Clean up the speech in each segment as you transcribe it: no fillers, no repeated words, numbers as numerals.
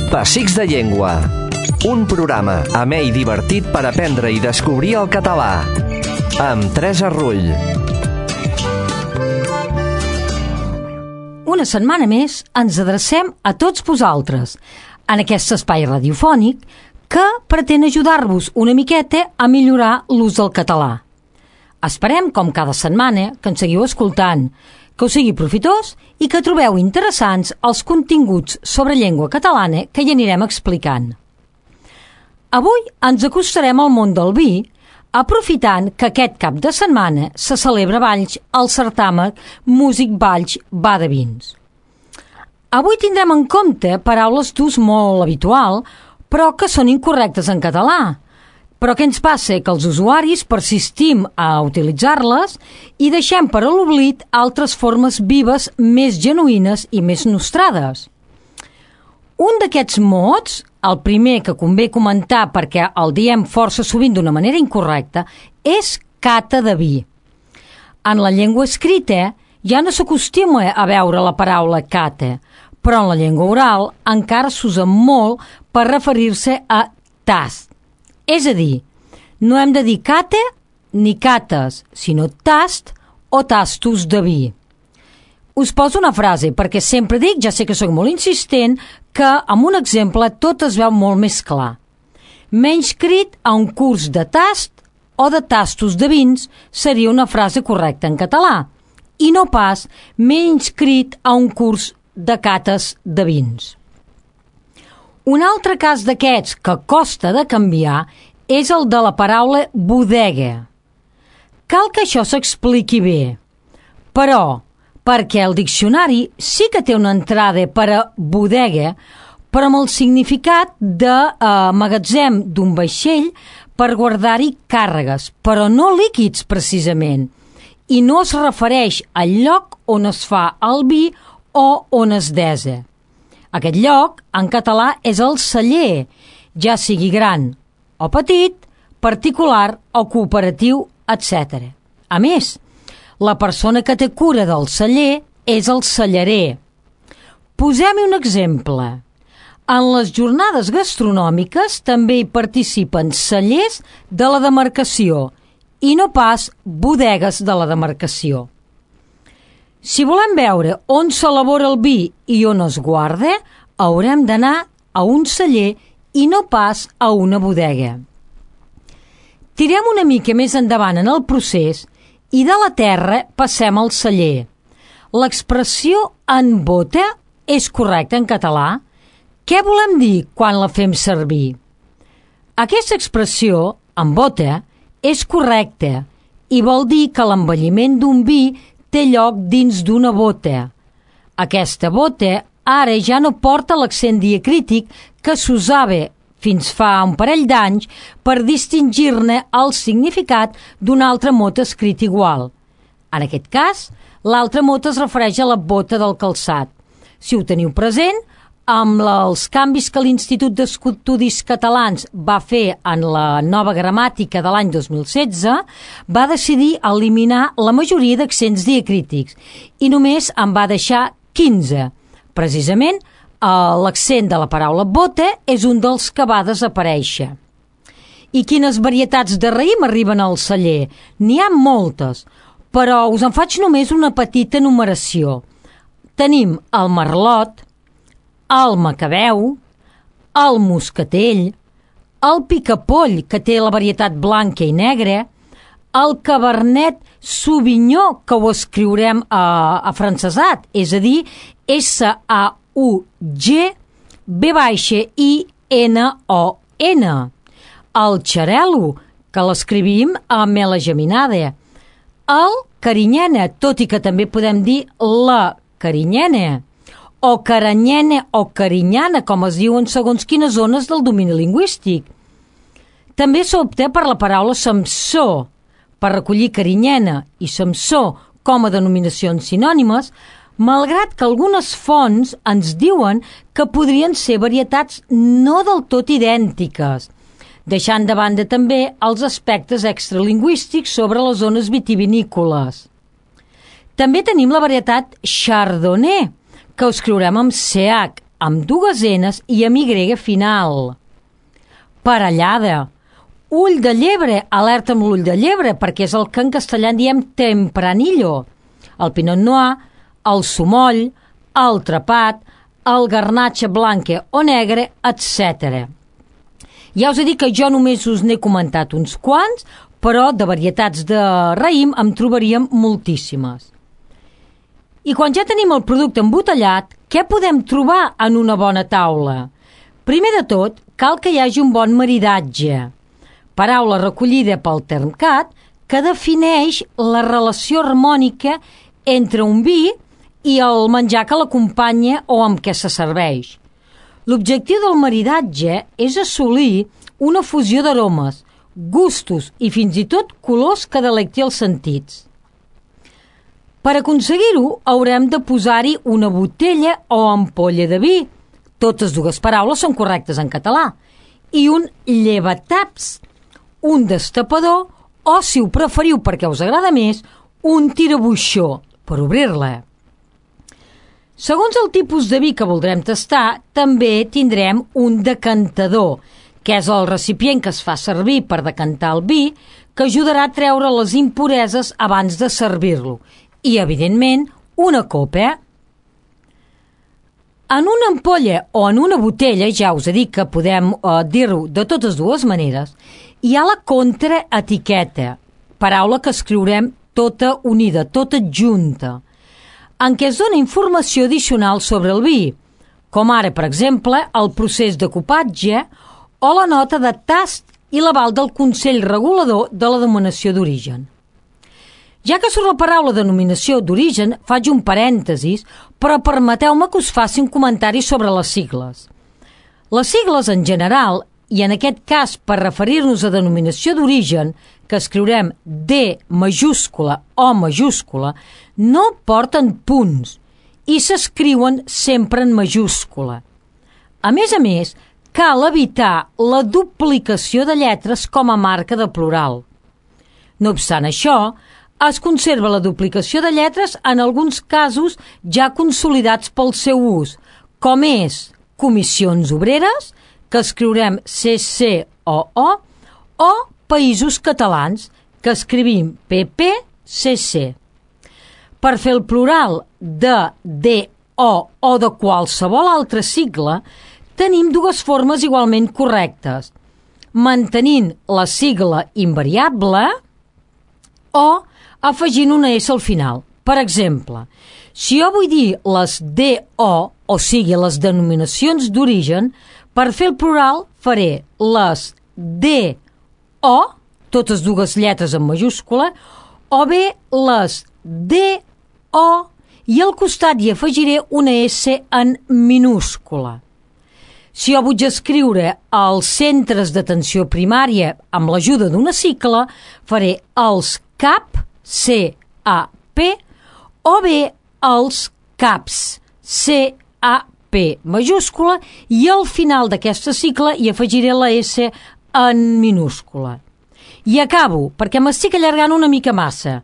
Pessics de Llengua. Un programa amè i divertit per aprendre i descobrir el català. Amb Teresa Rull. Una setmana més ens adrecem a tots vosaltres en aquest espai radiofònic que pretén ajudar-vos una miqueta a millorar l'ús del català. Esperem, com cada setmana, que ens seguiu escoltant, que us sigui profitós i que trobeu interessants els continguts sobre llengua catalana que hi anirem explicant. Avui ens acostarem al món del vi, aprofitant que aquest cap de setmana se celebra a Valls el certamen Músic Valls Va de Vins. Avui tindrem en compte paraules d'ús molt habitual, però que són incorrectes en català. Però què ens passa? Que els usuaris persistim a utilitzar-les i deixem per a l'oblit altres formes vives més genuïnes i més nostrades. Un d'aquests mots, el primer que convé comentar perquè el diem força sovint d'una manera incorrecta, és cata de vi. En la llengua escrita ja no s'acostuma a veure la paraula cata, però en la llengua oral encara s'usa molt per referir-se a tast. És a dir, no hem de dir cata ni cates, sinó tast o tastos de vi. Us poso una frase perquè sempre dic, ja sé que sóc molt insistent, que amb un exemple tot es veu molt més clar. M'he inscrit a un curs de tast o de tastos de vins seria una frase correcta en català i no pas m'he inscrit a un curs de cates de vins. Un altre cas d'aquests que costa de canviar és el de la paraula bodega. Cal que això s'expliqui bé, però perquè el diccionari sí que té una entrada per a bodega, però amb el significat de magatzem d'un vaixell per guardar-hi càrregues, però no líquids precisament, i no es refereix al lloc on es fa el vi o on es desa. Aquest lloc, en català, és el celler, ja sigui gran o petit, particular o cooperatiu, etc. A més, la persona que té cura del celler és el cellarer. Posem-hi un exemple. En les jornades gastronòmiques també hi participen cellers de la demarcació i no pas bodegues de la demarcació. Si volem veure on s'elabora el vi i on es guarda, haurem d'anar a un celler i no pas a una bodega. Tirem una mica més endavant en el procés i de la terra passem al celler. L'expressió en bota és correcta en català? Què volem dir quan la fem servir? Aquesta expressió, en bota, és correcta i vol dir que l'envelliment d'un vi té lloc dins d'una bota. Aquesta bota ara ja no porta l'accent diacrític que s'usava fins fa un parell d'anys per distingir-ne el significat d'un altre mot escrit igual. En aquest cas, l'altre mot es refereix a la bota del calçat. Si ho teniu present, amb els canvis que l'Institut d'Estudis Catalans va fer en la nova gramàtica de l'any 2016, va decidir eliminar la majoria d'accents diacrítics i només en va deixar 15. Precisament, l'accent de la paraula bota és un dels que va desaparèixer. I quines varietats de raïm arriben al celler? N'hi ha moltes, però us en faig només una petita enumeració. Tenim el merlot, el macabeu, el moscatell, el picapoll, que té la varietat blanca i negra, el cabernet sauvignon, que ho escriurem afrancesat, és a dir, S-A-U-G-B-I-N-O-N, el xarel·lo, que l'escrivim amb la geminada, el carinyena, tot i que també podem dir la carinyena, o caranyena o carinyana, com es diuen segons quines zones del domini lingüístic. També s'opta per la paraula Samsó, per recollir carinyena i Samsó com a denominacions sinònimes, malgrat que algunes fonts ens diuen que podrien ser varietats no del tot idèntiques, deixant de banda també els aspectes extralingüístics sobre les zones vitivinícoles. També tenim la varietat Chardonnay, que ho escriurem amb CH, amb dues N's i amb Y final. Parellada. Ull de llebre, alerta amb l'ull de llebre, perquè és el que en castellà en diem tempranillo. El pinot noir, el sumoll, el trepat, el garnatxa blanca o negre, etc. Ja us he dit que jo només us n'he comentat uns quants, però de varietats de raïm en trobaríem moltíssimes. I quan ja tenim el producte embotellat, què podem trobar en una bona taula? Primer de tot, cal que hi hagi un bon maridatge. Paraula recollida pel Termcat que defineix la relació harmònica entre un vi i el menjar que l'acompanya o amb què se serveix. L'objectiu del maridatge és assolir una fusió d'aromes, gustos i fins i tot colors que delecti els sentits. Per aconseguir-ho, haurem de posar-hi una botella o ampolla de vi, totes dues paraules són correctes en català, i un llevataps, un destapador o, si ho preferiu perquè us agrada més, un tirabuixó per obrir-la. Segons el tipus de vi que voldrem tastar, també tindrem un decantador, que és el recipient que es fa servir per decantar el vi, que ajudarà a treure les impureses abans de servir-lo. I, evidentment, una copa. En una ampolla o en una botella, ja us he dit que podem dir-ho de totes dues maneres, hi ha la contraetiqueta, paraula que escriurem tota unida, tota junta, en què es dona informació addicional sobre el vi, com ara, per exemple, el procés de copatge o la nota de tast i l'aval del Consell Regulador de la Denominació d'Origen. Ja que surt la paraula denominació d'origen, faig un parèntesis, però permeteu-me que us faci un comentari sobre les sigles. Les sigles en general, i en aquest cas per referir-nos a denominació d'origen, que escriurem D majúscula o majúscula, no porten punts i s'escriuen sempre en majúscula. A més, cal evitar la duplicació de lletres com a marca de plural. No obstant això, es conserva la duplicació de lletres en alguns casos ja consolidats pel seu ús, com és comissions obreres, que escriurem CCOO, o Països Catalans, que escrivim PPCC. Per fer el plural de DO o de qualsevol altra sigla, tenim dues formes igualment correctes, mantenint la sigla invariable o afegint una S al final. Per exemple, si jo vull dir les DO, o sigui, les denominacions d'origen, per fer el plural faré les DO, totes dues lletres en majúscula, o bé les DO i al costat hi afegiré una S en minúscula. Si jo vull escriure els centres d'atenció primària amb l'ajuda d'una sigla, faré els CAP, C-A-P, o bé els CAPs, C-A-P majúscula, i al final d'aquesta sigla hi afegiré la S en minúscula. I acabo, perquè m'estic allargant una mica massa.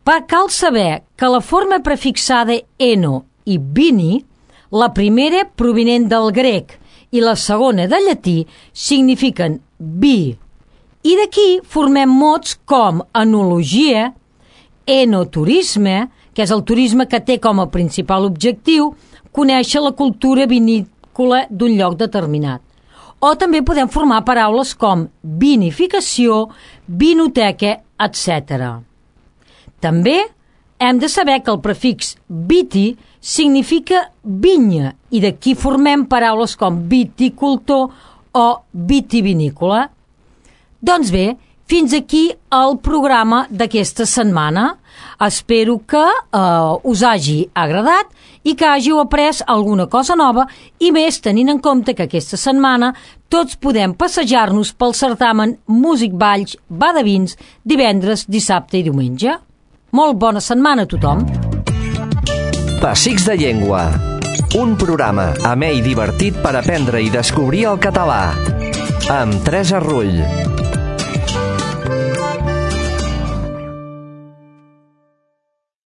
Cal saber que la forma prefixada eno i vini, la primera provinent del grec i la segona del llatí, signifiquen vi. I d'aquí formem mots com enologia, enoturisme, que és el turisme que té com a principal objectiu conèixer la cultura vinícola d'un lloc determinat. O també podem formar paraules com vinificació, vinoteca, etc. També hem de saber que el prefix viti significa vinya i d'aquí formem paraules com viticultor o vitivinícola. Doncs bé, fins aquí el programa d'aquesta setmana. Espero que us hagi agradat i que hàgiu après alguna cosa nova i més tenint en compte que aquesta setmana tots podem passejar-nos pel certamen Músic Valls Va de Vins divendres, dissabte i diumenge. Molt bona setmana a tothom. Pessics de Llengua, un programa amè i divertit per aprendre i descobrir el català, amb Teresa Rull.